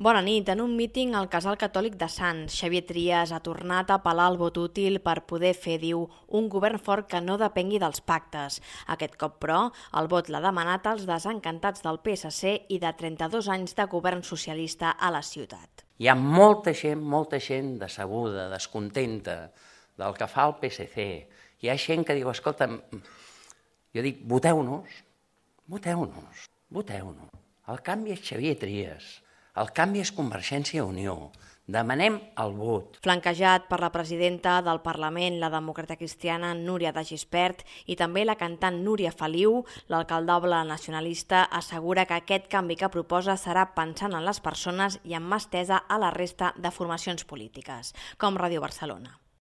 Bona nit. En un míting al Casal Catòlic de Sants, Xavier Trias ha tornat a apel·lar el vot útil per poder fer, diu, un govern fort que no depengui dels pactes. Aquest cop, però, el vot l'ha demanat als desencantats del PSC i de 32 anys de govern socialista a la ciutat. Hi ha molta gent decebuda, descontenta del que fa el PSC. Hi ha gent que diu, escolta, jo dic, voteu-nos. El canvi és Xavier Trias. El canvi és Convergència i Unió. Demanem el vot. Flanquejat per la presidenta del Parlament, la demòcrata cristiana Núria de Gispert, i també la cantant Núria Feliu, l'alcaldoble nacionalista assegura que aquest canvi que proposa serà pensant en les persones i amb mà estesa a la resta de formacions polítiques, com Ràdio Barcelona.